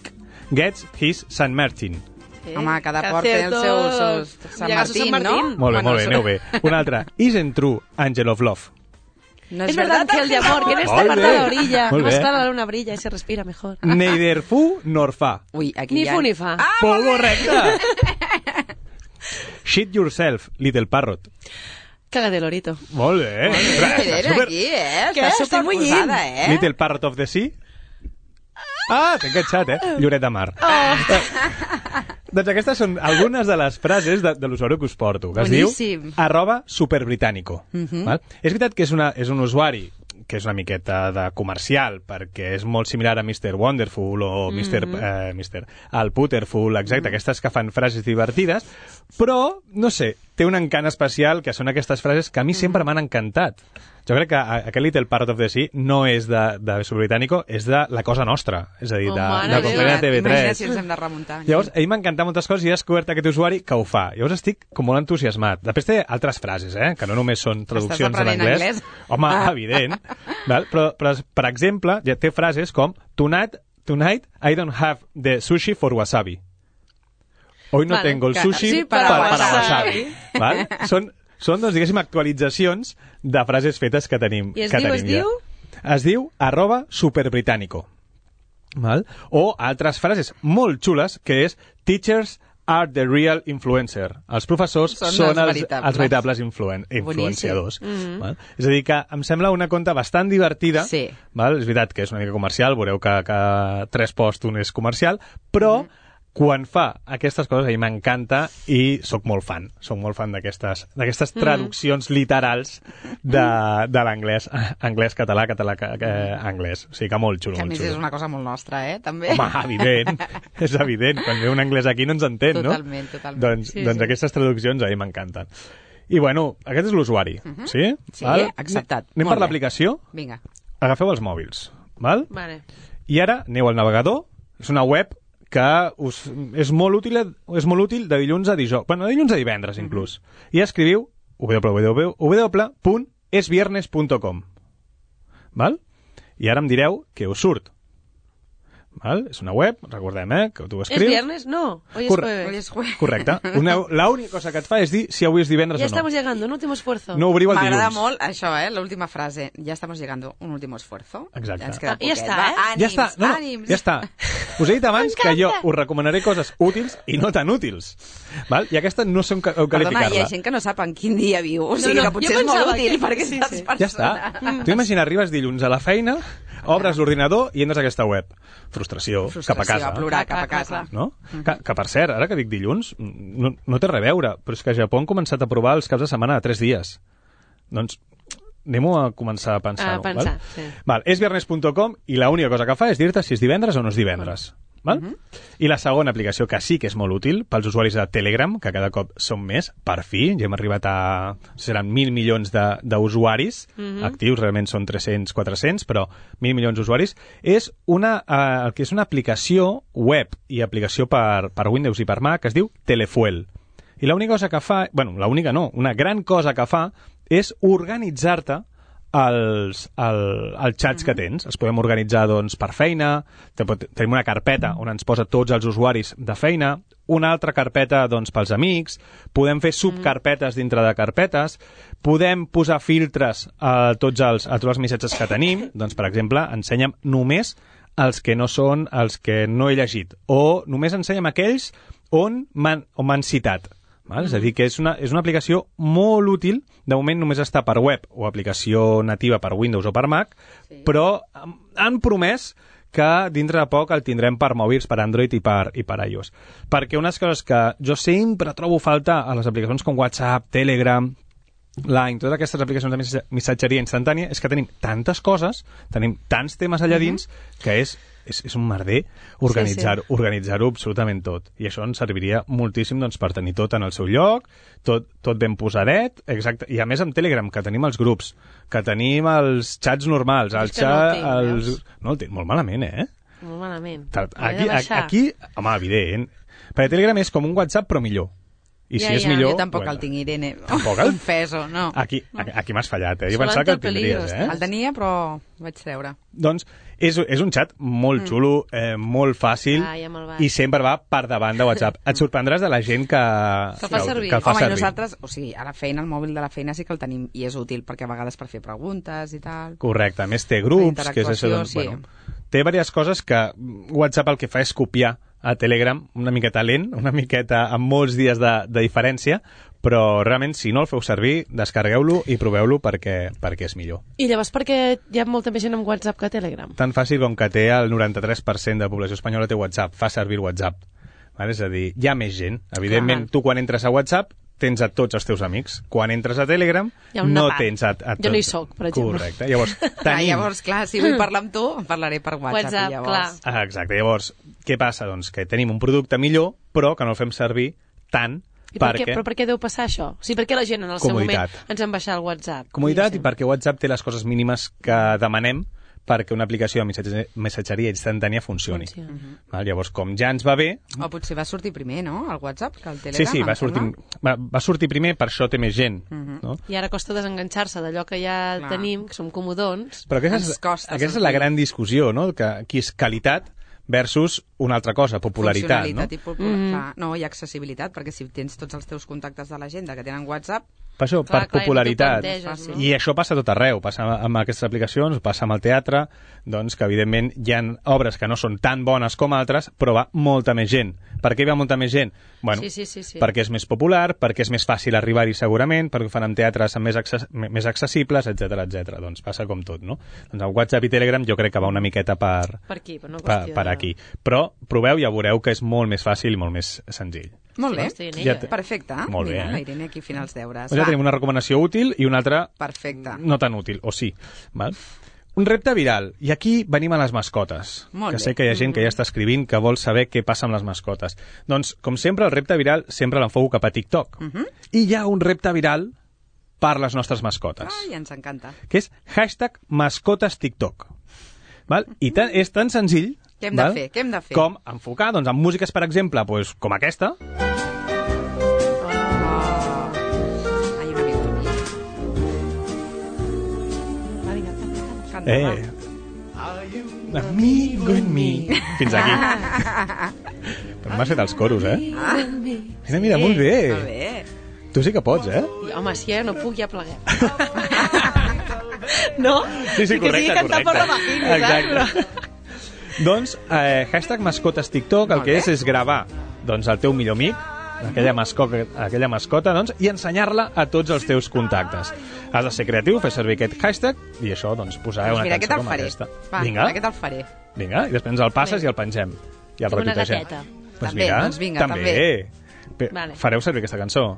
gets his Sant Martin. Sí. Home, cada Que port té el cierto. seu, seu Sant Llega a su Martín, San no? Martín. Molt bé, Bueno, molt bé, aneu bé. Una altra. Isn't true, Angel of Love. No Es verdad que el de amor, que en esta Molt parte bé. de la orilla, Molt más bé. clara la luna brilla y se respira mejor. Neither fu nor fa. Ui, aquí Ni ja... fu ni fa. Ah, Molt correcte! Shit yourself, little parrot. Caga de lorito. Molt bé. Molt bé, Ostres, Irene, super- aquí, eh? Què? Està Estic superposada, eh? Little Parrot of the Sea. Ah, t'he enganxat, eh? Lloret de mar. Oh. Doncs aquestes són algunes de les frases de, de l'usuari que us porto, que es Boníssim. diu arroba superbritánico. Mhm. Val? És veritat que és, una, és un usuari que és una miqueta de comercial, perquè és molt similar a mister Wonderful o mister Mhm. eh, mister Al Putterful, exacte, aquestes que fan frases divertides, però, no sé, té un encant especial que són aquestes frases que a mi sempre m'han encantat. Jo crec que a- aquest Little Part of the Sea no és de, de Superbritánico, és de La Cosa Nostra, és a dir, Oh, de, mare de meva. companyia de T V Imagina't tres. si ens hem de remuntar. Llavors, a mi m'encanta moltes coses i he descobert aquest usuari que ho fa. Llavors estic com molt entusiasmat. Després té altres frases, eh? Que no només són traduccions en aprenent anglès. anglès? Home, evident. Val? Però, però, per exemple, ja té frases com Tonight, tonight I don't have the sushi for wasabi. Hoy no Vale, tengo el que- sushi sí, para, para para wasabi. wasabi. Val? Són, són, doncs, diguéssim, actualitzacions de frases fetes que tenim. I es que diu, tenim es ja. diu? Es diu arroba superbritánico. Val? O altres frases molt xules, que és Teachers are the real influencer. Els professors Són són, els els, veritables. els veritables influen influenciadors. Boníssim. Val? És a dir, que em sembla una conta bastant divertida. Sí. Val? És veritat que és una mica comercial, veureu que, que tres posts un és comercial, però quan fa aquestes coses a mi m'encanta i sóc molt fan. Sóc molt fan d'aquestes d'aquestes traduccions literals de, de l'anglès anglès, català, català, ca- eh, anglès. O sigui que molt xulo, Que a molt més xulo. és una cosa molt nostra, eh? També. Home, evident, és evident. Quan ve un anglès aquí no ens entén, Totalment, no? totalment. Doncs, Sí, doncs sí. aquestes traduccions a mi m'encanten. I bueno, aquest és l'usuari, sí? Sí, acceptat. Anem Molt per bé. l'aplicació? Vinga. Agafeu els mòbils, val? Vale. I ara aneu al navegador, és una web que us, és, molt útil, és molt útil de dilluns a dijous, bueno, de dilluns a divendres inclús, i escriviu w w w punt es viernes punt com, val? I ara em direu què us surt. Val? És una web, recordem, eh, que tu ¿Es escrius. viernes? No, hoy es Corre- jueves. Hoy es jueves. Correcte. Una, la única cosa que et fa és dir si avui és divendres Ya o no. estamos llegando, un último esfuerzo. No obriu el M'agrada dilluns. molt això, eh? L'última frase. Ja estamos llegando. Un último esfuerzo. Exacte. Ja ens queda Ah, ja poquet. està, Va, eh? ànims, Ja està, no, no, ànims. ja està. Us he dit abans que jo us recomanaré coses útils i no tan útils. Val? I aquesta no sé on ca- on Perdona, hi ha qualificar-la. gent que no sap en quin dia viu. O sigui no, que potser jo és molt pensava útil que- perquè sí, aquestes sí. Ja està. persones... Tu imagina, arribes dilluns a la feina, obres l'ordinador i entres a aquesta web. Frustració, Frustració, cap a casa. a plorar, cap a Clar, clar, casa. No? Que, que, per cert, ara que dic dilluns, no, no té res a veure, però és que a Japó han començat a provar els caps de setmana de tres dies. Doncs anem-ho a començar a pensar. A pensar, val? sí. Val, és viernes punt com i l'única cosa que fa és dir-te si és divendres o no és divendres. Val? Uh -huh. I la segona aplicació que sí que és molt útil pels usuaris de Telegram, que cada cop són més, per fi, ja hem arribat a... seran mil milions de- d'usuaris uh -huh. actius, realment són tres-cents, quatre-cents, però mil milions d'usuaris, és una, eh, el que és una aplicació web i aplicació per, per Windows i per Mac que es diu Telefuel. I l'única cosa que fa, bueno, l'única no, una gran cosa que fa és organitzar-te els, el, els xats que tens. Els podem organitzar doncs, per feina, tenim una carpeta on ens posa tots els usuaris de feina, una altra carpeta doncs, pels amics, podem fer subcarpetes dintre de carpetes, podem posar filtres a tots els, a tots els missatges que tenim, doncs, per exemple, ensenya'm només els que no són els que no he llegit, o només ensenya'm aquells on m'han, on m'han citat. Val? És a dir, que és una, és una aplicació molt útil. De moment només està per web o aplicació nativa per Windows o per Mac, sí. Però han promès que dintre de poc el tindrem per mòbils, per Android i per, i per iOS. Perquè unes coses que jo sempre trobo falta a les aplicacions com WhatsApp, Telegram, Line, totes aquestes aplicacions de missatgeria instantània, és que tenim tantes coses, tenim tants temes allà dins, que és, és, és un merder organitzar-ho sí, sí. organitzar-ho absolutament tot. I això ens serviria moltíssim doncs, per tenir tot en el seu lloc, tot, tot ben posadet, exacte. I a més amb Telegram, que tenim els grups, que tenim els xats normals, el xat, no el tinc, els... No el tinc, molt malament, eh? Molt malament. Aquí, aquí, home, evident. Perquè Telegram és com un WhatsApp, però millor. I ja, si és ja, millor... Jo tampoc bueno, el tinc, Irene. Tampoc el... Confeso, no. Aquí, aquí, aquí m'has fallat, eh? Jo Solant pensava que el peligros, tindries, eh? El tenia, però vaig treure. Doncs és, és un xat molt xulo, eh, molt fàcil, ah, ja i sempre va per davant de WhatsApp. Et sorprendràs de la gent que, que el fa servir. Que el fa Home, servir. i nosaltres, o sigui, a la feina, el mòbil de la feina sí que el tenim, i és útil, perquè a vegades per fer preguntes i tal. Correcte, a més té grups, que és això, doncs, sí. bueno, té diverses coses que WhatsApp el que fa és copiar a Telegram, una miqueta lent, una miqueta amb molts dies de, de diferència, però realment, si no el feu servir, descarregueu-lo i proveu-lo perquè, perquè és millor. I llavors per què hi ha molta més gent amb WhatsApp que Telegram? Tan fàcil com que té el noranta-tres per cent de la població espanyola té WhatsApp, fa servir WhatsApp. Vale? És a dir, hi ha més gent. Evidentment, Clar. tu quan entres a WhatsApp tens a tots els teus amics. Quan entres a Telegram, no part. tens a, a tots. Jo no hi soc, per exemple. Correcte. Llavors, tenim... Clar, llavors, clar, si vull parlar amb tu, em parlaré per WhatsApp. WhatsApp, llavors... clar. Ah, exacte. Llavors, què passa? Doncs que tenim un producte millor, però que no el fem servir tant I per perquè... què, però per què deu passar això? O sigui, per què la gent en el seu moment ens en baixar el WhatsApp? Comoditat, i perquè WhatsApp té les coses mínimes que demanem perquè una aplicació de missatge, missatgeria instantània funcioni. Funciona. Uh-huh. Val? Llavors, com ja ens va bé... O potser va sortir primer, no?, el WhatsApp, que el Telegram. Sí, sí, va sortir, va, va sortir primer, per això té més gent. Uh-huh. no? I ara costa desenganxar-se d'allò que ja Clar. tenim, que som comodons. Però aquesta, és, aquesta és la gran discussió, no?, que aquí és qualitat versus una altra cosa, popularitat. Funcionalitat no? i popular, mm. clar. No, i accessibilitat, perquè si tens tots els teus contactes de l'agenda que tenen WhatsApp... Per això, clar, per clar, popularitat. Planteges, no? I això passa a tot arreu. Passa amb aquestes aplicacions, passa amb el teatre, doncs que evidentment hi ha obres que no són tan bones com altres, però va molta més gent. Per què hi va molta més gent? Bueno, sí, sí, sí, sí. perquè és més popular, perquè és més fàcil arribar-hi segurament, perquè ho fan en teatres més, access més accessibles, etcètera, etcètera. Doncs passa com tot, no? Doncs el WhatsApp i Telegram jo crec que va una miqueta per, per, aquí, per, no per, per aquí. Però proveu i ja veureu que és molt més fàcil i molt més senzill. Molt bé, sí, ja perfecte. Molt bé, Mira, eh? la Irene aquí fent els deures. Doncs ja tenim una recomanació útil i una altra Perfecte. no tan útil, o sí. Val? Un repte viral. I aquí venim a les mascotes. Molt que bé. sé que hi ha gent que ja està escrivint que vol saber què passa amb les mascotes. Doncs, com sempre, el repte viral sempre l'enfoco cap a TikTok. Uh -huh. I hi ha un repte viral per les nostres mascotes. Ai, ens encanta. Que és hashtag mascotes TikTok. Val? I tan, és tan senzill Què hem val? de fer? Què hem de fer? Com enfocar, doncs, amb músiques, per exemple, doncs, com aquesta. Eh, amigo en mi. Fins aquí. Però m'has fet els coros, eh? Mira, mira, molt bé. Molt bé. Tu sí que pots, eh? I, home, si ja no puc, ja pleguem. No? Sí, sí, correcte, que sigui cantar per la vagina, exacte. Doncs, eh, hashtag mascotes TikTok, el que és és gravar doncs, el teu millor amic, aquella mascota, aquella mascota doncs, i ensenyar-la a tots els teus contactes. Has de ser creatiu, fer servir aquest hashtag i això, doncs, posar Doncs una mira, cançó aquest com el faré. aquesta. Va, Vinga, aquest el faré. vinga, i després ens el passes Bé. i el pengem. I el Tinc una retuitegem. gateta. Pues També, mira, doncs vinga, també. Pe- Vale. Fareu servir aquesta cançó?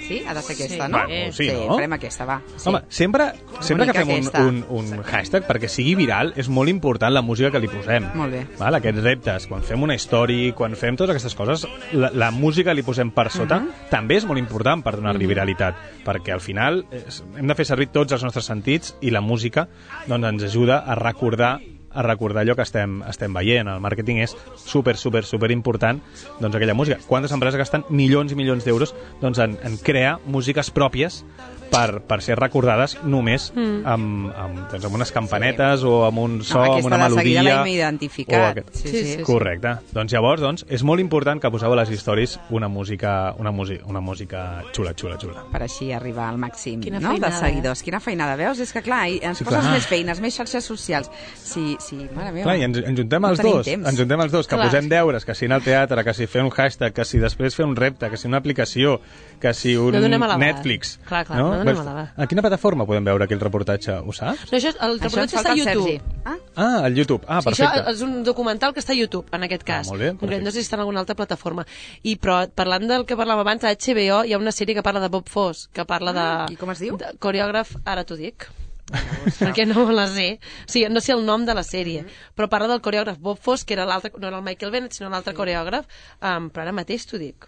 Sí? Ha de ser aquesta, Sí. no? Bueno, sí, sí, no? farem aquesta, va. Sí. Home, sempre, sempre que Bonica fem un, aquesta. un, un hashtag, perquè sigui viral, és molt important la música que li posem. Molt bé. Val? Aquests reptes, quan fem una història, quan fem totes aquestes coses, la, la música li posem per sota, uh -huh. també és molt important per donar-li uh -huh. viralitat, perquè al final és, hem de fer servir tots els nostres sentits i la música doncs, ens ajuda a recordar a recordar allò que estem, estem veient. El màrqueting és super, super, super important, doncs aquella música. Quantes empreses gasten milions i milions d'euros doncs, en, en crear músiques pròpies per, per ser recordades només mm. amb, amb, doncs, amb unes campanetes sí. o amb un so, no, amb una melodia. Aquesta de seguida l'hem identificat. Aquest... Sí, sí, sí, correcte. Sí. Doncs llavors doncs, és molt important que poseu a les històries una música, una música, una música xula, xula, xula. Per així arribar al màxim Quina no? feinada, de seguidors. Eh? Quina feinada, veus? És que clar, ens sí, poses clar. més feines, més xarxes socials. Sí, sí, mare meva. Clar, i ens, ens juntem no els dos, temps. ens juntem els dos, que clar. posem deures, que si anar al teatre, que si fer un hashtag, que si després fer un repte, que si una aplicació, que si un no Netflix. Clar, clar, no? no donem a l'abast. A quina plataforma podem veure aquí el reportatge? Ho saps? No, això, el reportatge està a YouTube. Ah? Ah, al YouTube. Ah, Sí, perfecte. això és un documental que està a YouTube, en aquest cas. Ah, molt bé, perfecte. No sé si està en alguna altra plataforma. I, però parlant del que parlàvem abans, a H B O hi ha una sèrie que parla de Bob Fosse, que parla de... Ah, i com es diu? De coreògraf, ara t'ho dic. Perquè no la sé. O sigui, no sé el nom de la sèrie, però parla del coreògraf Bob Fosse, que era l'altre, no era el Michael Bennett, sinó l'altre sí. coreògraf, um, però ara mateix t'ho dic.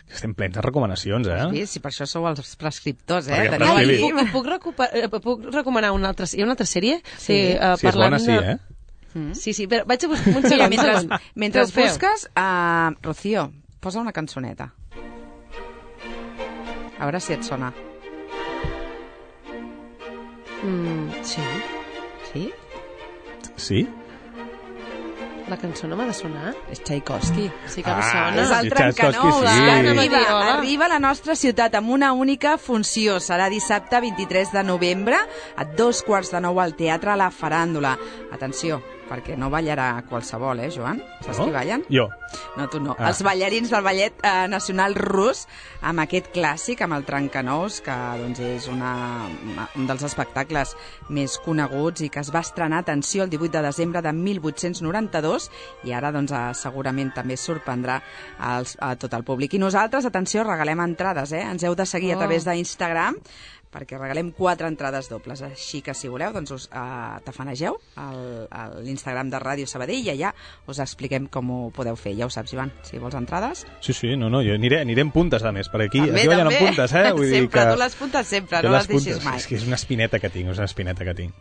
Estem plens de recomanacions, eh? Sí, sí, per això sou els prescriptors, eh? Perquè Teniu Ah, i prescrivi. puc, i puc, recuper, eh, puc recomanar una altra, hi ha una altra sèrie? Sí. uh, Si és bona, sí, eh? Mm. Sí, sí, però vaig a buscar un Mira, segon. mentre, segon. mentre Feu, feu. busques, uh, Rocío, posa una cançoneta. A veure si et sona. Mm, sí, Sí? Sí? la cançó no m'ha de sonar. És Tchaikovsky. Sí que em Ah, sona. És el sí, trencanous. Tchaikovsky, sí. Arriba, Hola. arriba a la nostra ciutat amb una única funció. Serà dissabte vint-i-tres de novembre a dos quarts de nou al Teatre La Faràndula. Atenció, perquè no ballarà qualsevol, eh, Joan? Saps No? qui ballen? Jo. No, tu no. Ah. Els ballarins del Ballet eh, Nacional Rus, amb aquest clàssic, amb el Trencanous, que doncs, és una, una, un dels espectacles més coneguts i que es va estrenar, atenció, el divuit de desembre de mil vuit-cents noranta-dos, i ara doncs, eh, segurament també sorprendrà als, a tot el públic. I nosaltres, atenció, regalem entrades, eh? Ens heu de seguir Oh. a través d'Instagram, perquè regalem quatre entrades dobles. Així que, si voleu, doncs us uh, tafanegeu al- a l'Instagram de Ràdio Sabadell i allà us expliquem com ho podeu fer. Ja ho saps, Ivan, si vols entrades. Sí, sí, no, no, jo aniré, aniré en puntes, a més, per aquí, També, aquí ballen en també. puntes, eh? Vull dir sempre, que... tu les puntes sempre, jo no les puntes, deixis mai. És que és una espineta que tinc, és una espineta que tinc.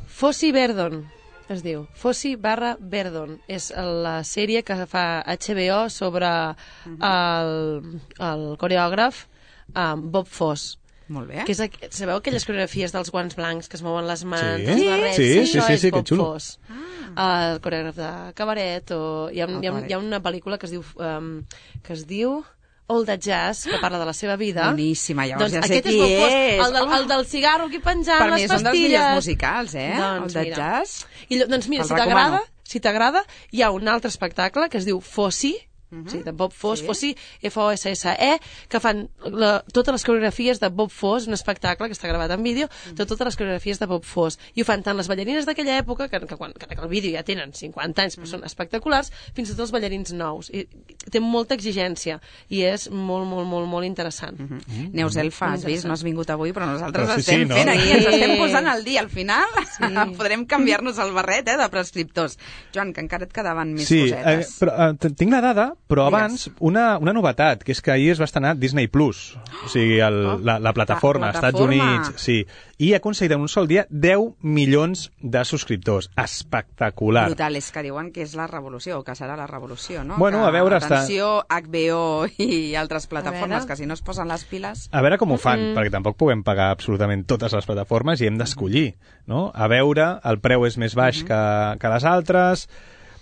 Fossi Verdon, es diu. Fossi barra Verdon. És la sèrie que fa H B O sobre el, el coreògraf um, Bob Fosse. Molt bé. Que és, aqu- sabeu aquelles coreografies dels guants blancs que es mouen les mans, Sí. els barrets? Sí, sí, Això sí, és sí, que Bob xulo. Fosse. Ah. El coreògraf de cabaret, o hi ha, un, El hi, ha, un- cabaret. hi ha una pel·lícula que es diu um, que es diu All That Jazz, que parla de la seva vida. Boníssima, llavors Doncs ja sé aquest qui és Bob Fosse, és. el del, el del cigarro aquí penjant, Per mi les és un dels pastilles. millors musicals, eh? Doncs el de mira. jazz. I, llo- doncs mira, El si t'agrada, recomano. si t'agrada, hi ha un altre espectacle que es diu Fossi, uh -huh. sí, de Bob Fosse, Sí. Fossi, F O S S E, que fan la, totes les coreografies de Bob Fosse, un espectacle que està gravat en vídeo, de totes les coreografies de Bob Fosse. I ho fan tant les ballarines d'aquella època, que, que, quan, que el vídeo ja tenen cinquanta anys, però són espectaculars, fins i tot els ballarins nous. I, té molta exigència i és molt, molt, molt, molt interessant. Mm -hmm. Neus Elfa, has vist? No has vingut avui, però nosaltres Però sí, estem sí, no? fent aquí, Sí. ens estem posant al dia. Al final Sí. podrem canviar-nos el barret, eh, de prescriptors. Joan, que encara et quedaven més Sí, eh, cosetes. però eh, t- tinc la dada, però Digues. abans una, una novetat, que és que ahir es va estrenar Disney Plus, o sigui, el, Oh. la, la plataforma, La als Estats plataforma. Units, sí, i ha aconseguit en un sol dia deu milions de subscriptors. Espectacular. Brutal, és que diuen que és la revolució, o que serà la revolució, no? Bueno, que, a veure, està- atenció, H B O i altres plataformes, veure. que si no es posen les piles... A veure com ho fan, Mm. perquè tampoc puguem pagar absolutament totes les plataformes i hem d'escollir, no? A veure, el preu és més baix que, que les altres...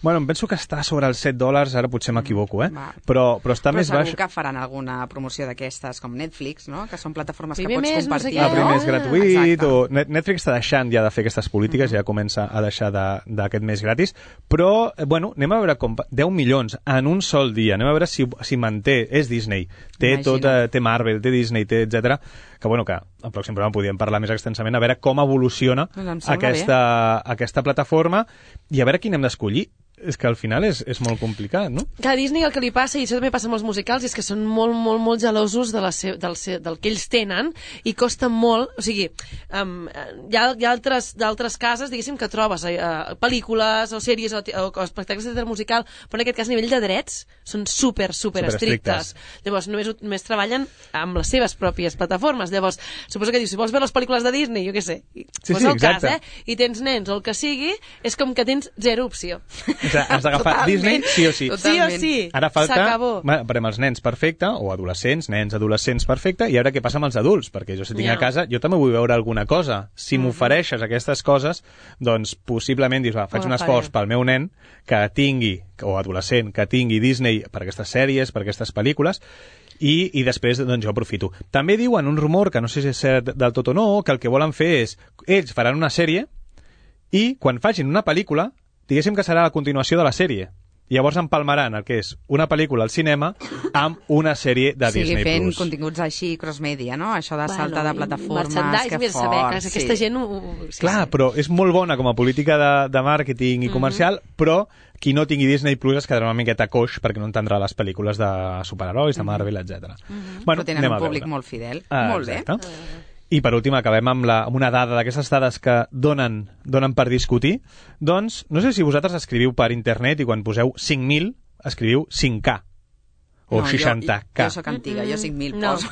Bueno, em penso que està sobre els set dòlars, ara potser m'equivoco, eh? Va. Però, però està Però més segur baix... que faran alguna promoció d'aquestes, com Netflix, no? Que són plataformes Primer que pots mes, no sé compartir. què. El primer és Ah, gratuït, exacte. o Net- Netflix està deixant ja de fer aquestes polítiques, ja comença a deixar de- d'aquest mes gratis, però, eh, bueno, anem a veure com... deu milions en un sol dia, anem a veure si, si manté, és Disney, té, Imagina't. tot, eh, té Marvel, té Disney, té etcètera, que bueno, que al pròxim programa podríem parlar més extensament, a veure com evoluciona Doncs em sembla aquesta, aquesta plataforma i a veure quin hem d'escollir. És que al final és, és molt complicat, no? Que a Disney el que li passa, i això també passa amb els musicals, és que són molt, molt, molt gelosos de la se del, se del que ells tenen i costa molt, o sigui, um, hi ha, hi ha altres, d'altres cases, diguéssim, que trobes eh, pel·lícules o sèries o, o, o espectacles de teatre musical, però en aquest cas a nivell de drets són super, super, Super estrictes. Llavors només, només treballen amb les seves pròpies plataformes. Llavors, suposo que dius, si vols veure les pel·lícules de Disney, jo què sé, Sí, pues sí, el cas, exacte. eh? I tens nens o el que sigui, és com que tens zero opció. has d'agafar Disney sí o sí. Sí o sí. Ara falta, S'acabó. bueno, per als nens perfecte, o adolescents, nens, adolescents perfecte, i ara què passa amb els adults? Perquè jo si tinc Ja. a casa, jo també vull veure alguna cosa. Si m'ofereixes aquestes coses, doncs possiblement dius, va, faig Ho un agafaré. esforç pel meu nen que tingui, o adolescent, que tingui Disney per aquestes sèries, per aquestes pel·lícules, i, i després doncs, jo aprofito. També diuen un rumor, que no sé si és cert del tot o no, que el que volen fer és, ells faran una sèrie i quan facin una pel·lícula, diguéssim que serà la continuació de la sèrie. Llavors empalmaran el que és una pel·lícula al cinema amb una sèrie de Sí, Disney+. fent Plus. continguts així, cross-media, no? Això de saltar de i plataformes, merchandise, que mira, fort. saber que aquesta sí. gent... Ho, ho, sí, Clar, sí. però és molt bona com a política de, de màrqueting i comercial, mm-hmm. però qui no tingui Disney Plus es quedarà una miqueta coix perquè no entendrà les pel·lícules de superherois, de Marvel, etcètera. Mm-hmm. Bueno, Però tenen anem un a públic veure. molt fidel. Ah, molt bé. exacte. I per últim acabem amb, la, amb una dada d'aquestes dades que donen, donen per discutir. Doncs, no sé si vosaltres escriviu per internet i quan poseu cinc mil escriviu cinc K o No, seixanta K. Jo, jo soc antiga, jo cinc mil No. poso.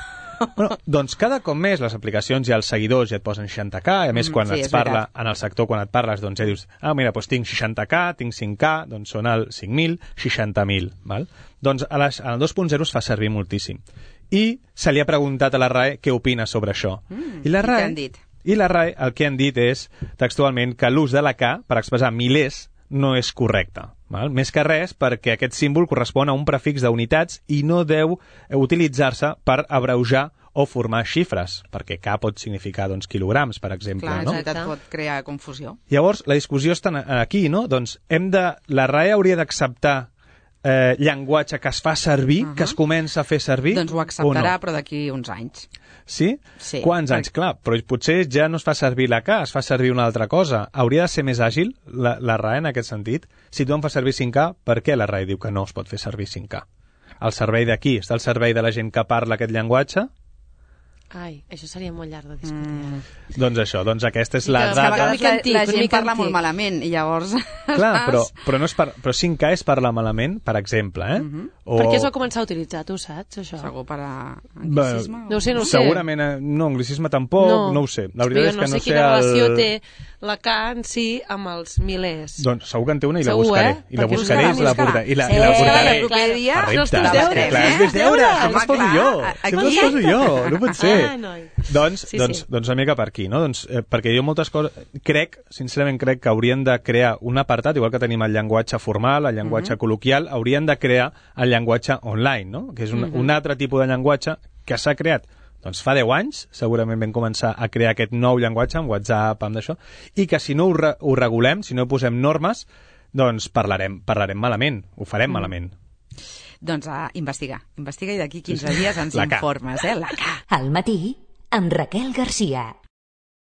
Bueno, doncs cada cop més les aplicacions i els seguidors ja et posen seixanta K, i a més quan sí, et és parla, veritat. en el sector quan et parles, doncs ja dius, ah, mira, doncs tinc seixanta K, tinc cinc K, doncs són el cinc mil, seixanta mil, val? Doncs a les, en el dos punt zero es fa servir moltíssim. I se li ha preguntat a la RAE què opina sobre això. Mm, I la i què RAE, han dit? I la RAE el que han dit és, textualment, que l'ús de la K per expressar milers no és correcte. Val? Més que res perquè aquest símbol correspon a un prefix d'unitats i no deu utilitzar-se per abreujar o formar xifres, perquè K pot significar doncs, quilograms, per exemple. Clar, no? exacte, et pot crear confusió. Llavors, la discussió està aquí, no? Doncs hem de, la RAE hauria d'acceptar eh, llenguatge que es fa servir, uh -huh. que es comença a fer servir, Doncs ho acceptarà, o no? però d'aquí uns anys. Sí? Sí. Quants anys? Clar, però potser ja no es fa servir la K, es fa servir una altra cosa. Hauria de ser més àgil la, la RAE en aquest sentit? Si tu em fas servir cinc K, per què la RAE diu que no es pot fer servir cinc K? El servei d'aquí està al servei de la gent que parla aquest llenguatge? Ai, això seria molt llarg de discutir. Mm. Doncs això, doncs aquesta és I la que És que a dada... vegades la, antic, la una gent mica parla antic. molt malament i llavors... Clar, però, però, no és per, però cinc K és parlar malament, per exemple, eh? Mhm. o... Per què es va començar a utilitzar, tu saps, això? Segur per a Bé, anglicisme? No ho sé, no ho sé. Segurament, eh, no, anglicisme tampoc, no, no ho sé. La veritat jo és que no no sé sé quina el... relació té la K en si amb els milers. Doncs segur que en té una i la Segur, buscaré. eh? I la Perquè buscaré i buscarà, la buscarà. portaré. I la, Sí, i la és que portaré. el proper dia A són els repte. teus deures, Clar, eh? és meus deures, Home, sempre els poso clar, jo. aquí- Sempre els poso jo, no pot ser. Ah, noi. Doncs, Sí, doncs, sí. doncs una mica per aquí, no? Doncs, eh, perquè jo moltes coses... Crec, sincerament crec que haurien de crear un apartat, igual que tenim el llenguatge formal, el llenguatge col·loquial, haurien de crear el llenguatge online, no? Que és un, un altre tipus de llenguatge que s'ha creat doncs fa deu anys, segurament vam començar a crear aquest nou llenguatge amb WhatsApp, amb d'això, i que si no ho, re ho regulem, si no posem normes, doncs parlarem, parlarem malament, ho farem mm. malament. Doncs a investigar. Investiga i d'aquí quinze dies ens La K. informes, eh? La K. Al matí, amb Raquel Garcia.